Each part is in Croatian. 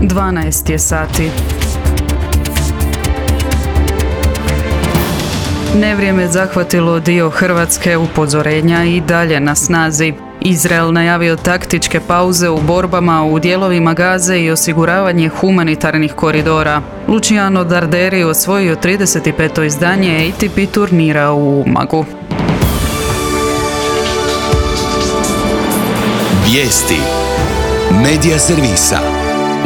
12 je sati. Nevrijeme zahvatilo dio Hrvatske, upozorenja i dalje na snazi. Izrael najavio taktičke pauze u borbama u dijelovima Gaze i osiguravanje humanitarnih koridora. Luciano Darderi osvojio 35. izdanje ATP turnira u Umagu. Vijesti Medija servisa.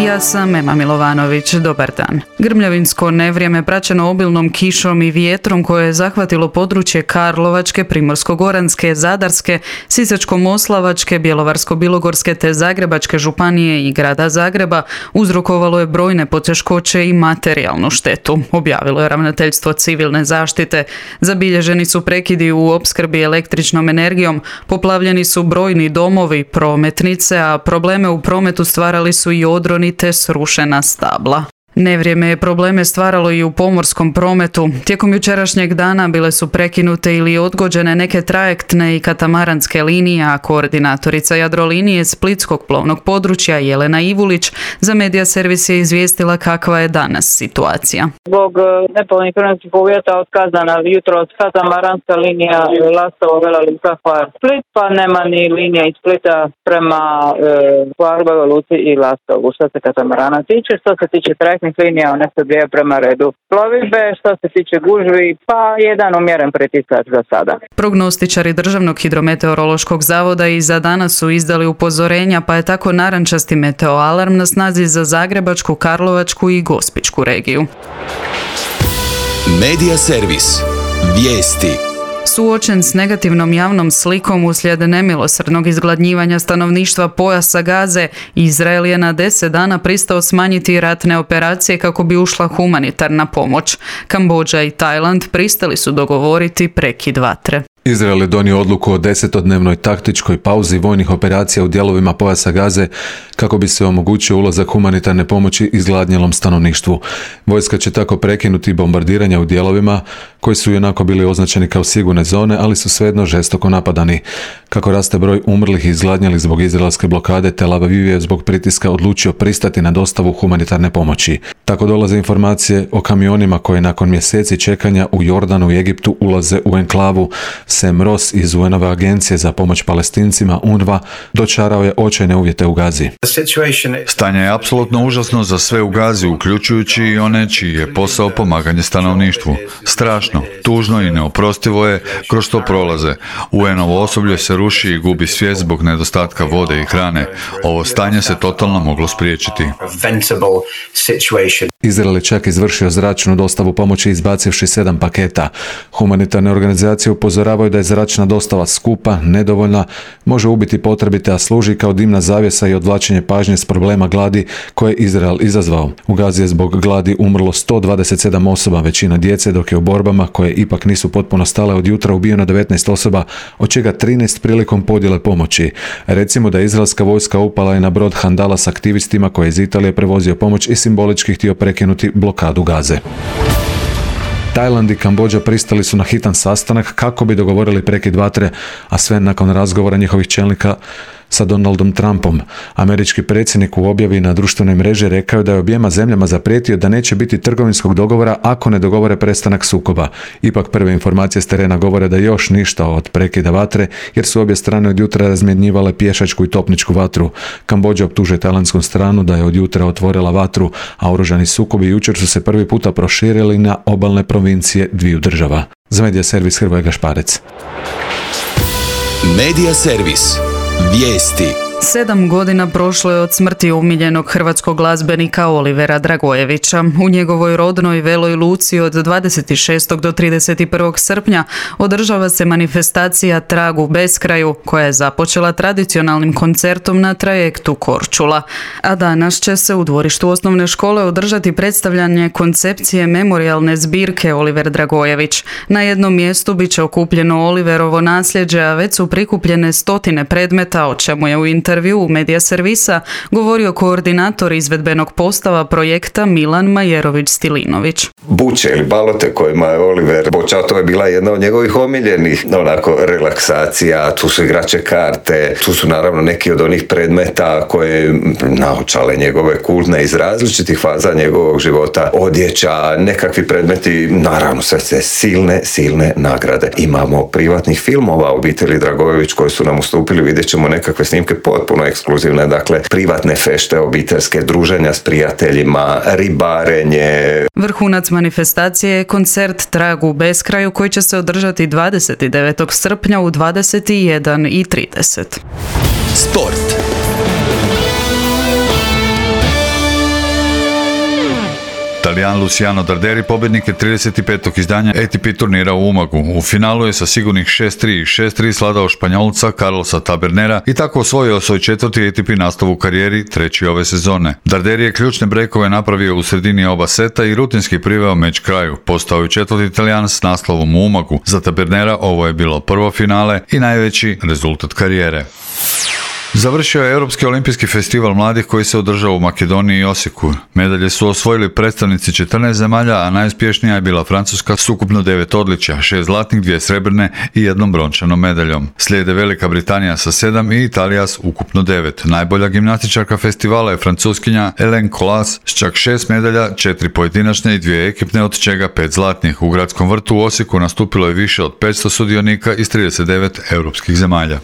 Ja sam Ema Milovanović, dobar dan. Grmljavinsko nevrijeme praćeno obilnom kišom i vjetrom koje je zahvatilo područje Karlovačke, Primorsko-goranske, Zadarske, Sisačko-moslavačke, Bjelovarsko-bilogorske te Zagrebačke županije i grada Zagreba uzrokovalo je brojne poteškoće i materijalnu štetu, objavilo je Ravnateljstvo civilne zaštite. Zabilježeni su prekidi u opskrbi električnom energijom, poplavljeni su brojni domovi, prometnice, a probleme u prometu stvarali su i odroni te srušena stabla. Nevrijeme je probleme stvaralo i u pomorskom prometu. Tijekom jučerašnjeg dana bile su prekinute ili odgođene neke trajektne i katamaranske linije, a koordinatorica Jadrolinije Splitskog plovnog područja Jelena Ivulić za Medija servis je izvijestila kakva je danas situacija. Zbog nepovoljnih vremenskih uvjeta otkazana jutros katamaranska linija Lastovo-Vela Luka-Hvar Split, pa nema ni linija iz Splita prema Hvarbovoj luci i Lastovu. Što se katamarana tiče, što se tiče trajektnih linija, one se odvijaju prema redu plovidbe. Što se tiče gužvi, pa jedan umjeren pritisak za sada. Prognostičari Državnog hidrometeorološkog zavoda i za danas su izdali upozorenja, pa je tako narančasti meteoalarm na snazi za Zagrebačku, Karlovačku i Gospićku regiju. Medija servis. Vijesti. Suočen s negativnom javnom slikom uslijed nemilosrdnog izgladnjivanja stanovništva pojasa Gaze, Izrael je na 10 dana pristao smanjiti ratne operacije kako bi ušla humanitarna pomoć. Kambodža i Tajland pristali su dogovoriti prekid vatre. Izrael je donio odluku o 10-dnevnoj taktičkoj pauzi vojnih operacija u dijelovima pojasa Gaze kako bi se omogućio ulazak humanitarne pomoći izgladnjelom stanovništvu. Vojska će tako prekinuti bombardiranja u dijelovima koji su ionako bili označeni kao sigurne zone, ali su svejedno žestoko napadani. Kako raste broj umrlih i izgladnjelih zbog izraelske blokade, Tel Aviv je zbog pritiska odlučio pristati na dostavu humanitarne pomoći. Tako dolaze informacije o kamionima koji nakon mjeseci čekanja u Jordanu i Egiptu ulaze u enklavu. Sam Ross iz UN-ove agencije za pomoć Palestincima UNRWA dočarao je očajne uvjete u Gazi. Stanje je apsolutno užasno za sve u Gazi, uključujući i one čiji je posao pomaganje stanovništvu. Strašno, tužno i neoprostivo je kroz što prolaze. UN-ovo osoblje se ruši i gubi svijest zbog nedostatka vode i hrane. Ovo stanje se totalno moglo spriječiti. Izrael je čak izvršio zračnu dostavu pomoći izbacivši 7 paketa. Humanitarne organizacije upozoravaju da je zračna dostava skupa, nedovoljna, može ubiti potrebite, a služi kao dimna zavjesa i odvlačenje pažnje s problema gladi koje je Izrael izazvao. U Gazi je zbog gladi umrlo 127 osoba, većina djece, dok je u borbama koje ipak nisu potpuno stale od jutra ubijeno 19 osoba, od čega 13 prilikom podjele pomoći. Recimo da je izraelska vojska upala i na brod Handala s aktivistima koji je iz Italije prevozio pomoć i simbolički htio prekinuti blokadu Gaze. Tajland i Kambodža pristali su na hitan sastanak kako bi dogovorili prekid vatre, a sve nakon razgovora njihovih čelnika sa Donaldom Trumpom. Američki predsjednik u objavi na društvenoj mreži rekao da je objema zemljama zaprijetio da neće biti trgovinskog dogovora ako ne dogovore prestanak sukoba. Ipak prve informacije s terena govore da još ništa od prekida vatre, jer su obje strane od jutra razmjenjivale pješačku i topničku vatru. Kambodža optužuje tajlandsku stranu da je od jutra otvorila vatru, a oružani sukobi jučer su se prvi puta proširili na obalne provincije dviju država. Za Medija servis Hrvoje Gašparec. Medija servis. Vijesti. 7 godina prošlo je od smrti omiljenog hrvatskog glazbenika Olivera Dragojevića. U njegovoj rodnoj Veloj Luci od 26. do 31. srpnja održava se manifestacija Trag u beskraju, koja je započela tradicionalnim koncertom na trajektu Korčula. A danas će se u dvorištu osnovne škole održati predstavljanje koncepcije memorijalne zbirke Oliver Dragojević. Na jednom mjestu bit će okupljeno Oliverovo nasljeđe, a već su prikupljene stotine predmeta, o čemu je u intervju intervju u Medija servisa govorio koordinator izvedbenog postava projekta Milan Majerović-Stilinović. Buče ili balote kojima je Oliver počeo, to je bila jedna od njegovih omiljenih relaksacija, tu su igrače karte, tu su naravno neki od onih predmeta koje naočale njegove kultne iz različitih faza njegovog života, odjeća, nekakvi predmeti, naravno sve silne nagrade. Imamo privatnih filmova obitelji Dragojević koji su nam ustupili, vidjet ćemo nekakve snimke potpuno ekskluzivne, dakle privatne fešte obiteljske, druženja s prijateljima, ribarenje. Vrhunac manifestacije je koncert Trag u beskraju koji će se održati 29. srpnja u 21:30. Sport. Talijan Luciano Darderi pobjednik je 35. izdanja ATP turnira u Umagu. U finalu je sa sigurnih 6-3 i 6-3 sladao Španjolca Carlosa Tabernera i tako osvojio svoj 4. ATP nastav u karijeri, 3. ove sezone. Darderi je ključne brekove napravio u sredini oba seta i rutinski priveo meč kraju. Postao je 4. Italijan s naslovom u Umagu. Za Tabernera ovo je bilo prvo finale i najveći rezultat karijere. Završio je Europski olimpijski festival mladih koji se održao u Makedoniji i Osijeku. Medalje su osvojili predstavnici 14 zemalja, a najuspješnija je bila Francuska s ukupno 9 odličja, 6 zlatnih, 2 srebrne i 1 brončanom medaljom. Slijede Velika Britanija sa 7 i Italija s ukupno 9. Najbolja gimnastičarka festivala je Francuskinja Hélène Colas s čak 6 medalja, 4 pojedinačne i 2 ekipne, od čega 5 zlatnih. U gradskom vrtu u Osijeku nastupilo je više od 500 sudionika iz 39 europskih zemalja.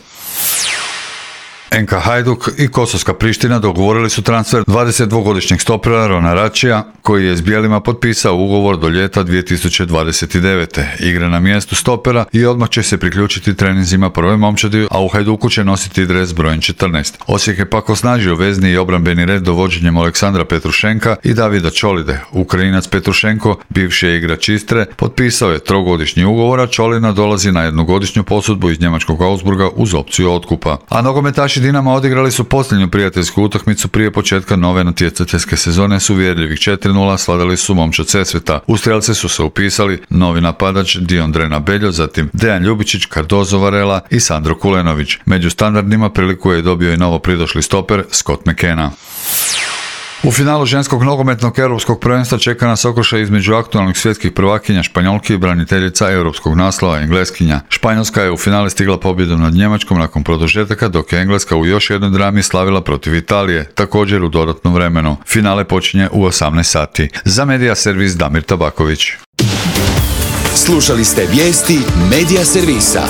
NK Hajduk i Kosovska Priština dogovorili su transfer 22-godišnjeg stopera Rona Račija, koji je s bijelima potpisao ugovor do ljeta 2029. Igra na mjestu stopera i odmah će se priključiti treninzima prve momčadi, a u Hajduku će nositi dres brojem 14. Osijek je pak osnažio vezni i obrambeni red dovođenjem Aleksandra Petrušenka i Davida Čolide. Ukrajinac Petrušenko, bivši je igrač Istre, potpisao je 3-godišnji ugovor, a Čolina dolazi na 1-godišnju posudbu iz njemačkog Augsburga uz opciju otkupa. A nogometaši Dinama odigrali su posljednju prijateljsku utakmicu prije početka nove natjecateljske sezone s uvjerljivih 4-0 sladali su momčad Sesveta. U strelce su se upisali novi napadač Dion Drena Beljo, zatim Dejan Ljubičić, Cardozo Varela i Sandro Kulenović. Među standardnima priliku je dobio i novo pridošli stoper Scott McKenna. U finalu ženskog nogometnog europskog prvenstva čeka nas okršaj između aktualnih svjetskih prvakinja Španjolki i braniteljica europskog naslova Engleskinja. Španjolska je u finale stigla pobjedom nad Njemačkom nakon produžetaka, dok je Engleska u još jednoj drami slavila protiv Italije, također u dodatnom vremenu. Finale počinje u 18 sati. Za Medija servis Damir Tabaković. Slušali ste vijesti Medija servisa.